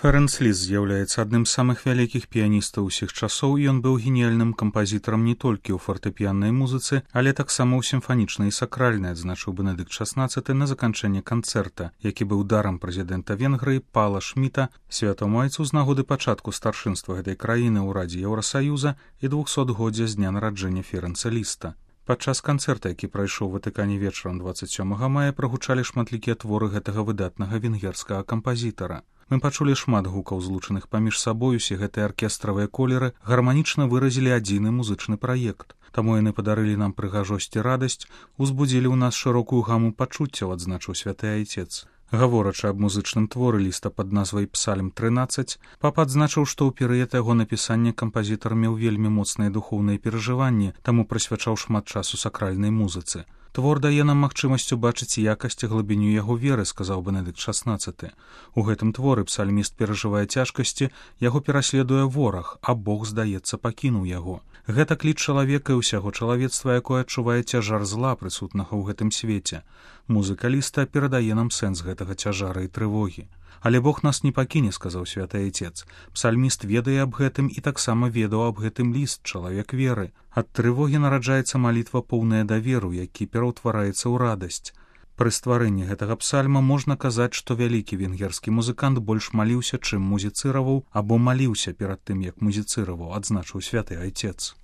Ферэнц Ліст з'яўляецца адным з самых вялікіх піяністаў усіх часоў, і ён быў геніяльным кампазітарам не толькі ў фартэпіяннай музыцы, але таксама ў сімфанічнай і сакральнай, адзначыў Бенедыкт XVI на заканчэнне канцэрта, які быў дарам прэзідэнта Венгрыі Пала Шміта, святому айцу з нагоды пачатку старшынства гэтай краіны ў Радзе Еўрасаюза і 200годдзя з дня нараджэння Ферэнца Ліста. Падчас канцэрта, які прайшоў у Ватыкане вечарам 27 мая, прагучалі шматлікія творы гэтага выдатнага венгерскага кампазітара. Мы пачулі шмат гукаў, злучаных паміж сабой, усе гэтыя аркестравыя колеры гарманічна выразілі адзіны музычны праект. Таму яны падарылі нам прыгажосць і радасць, узбудзілі ў нас шырокую гаму пачуццяў, адзначыў святы айцец. Гаворачы аб музычным творы Ліста пад назвай «Псальм 13», папа адзначыў, што ў перыяд яго напісання кампазітар меў вельмі моцныя духоўныя перажыванні, таму прысвячаў шмат часу сакральнай музыцы. «Твор дае нам магчымасць убачыць якасць і глыбіню яго веры», — сказаў Бенедыкт XVI. У гэтым творы псальміст перажывае цяжкасці, яго пераследуе вораг, а Бог, здаецца, пакінуў яго. Гэта кліч чалавека і ўсяго чалавецтва, якое адчувае цяжар зла, прысутнага ў гэтым свеце. Музыка Ліста перадае нам сэнс гэтага цяжара і трывогі. «Але Бог нас не пакіне», — сказаў святы айцец. Псальміст ведае аб гэтым і таксама ведаў аб гэтым Ліст, чалавек веры. Ад трывогі нараджаецца малітва поўная даверу, які пераўтвараецца ў радасць. Пры стварэнні гэтага псальма можна казаць, што вялікі венгерскі музыкант больш маліўся, чым музіцыраваў, або маліўся перад тым, як музіцыраваў, адзначыў святы айцец.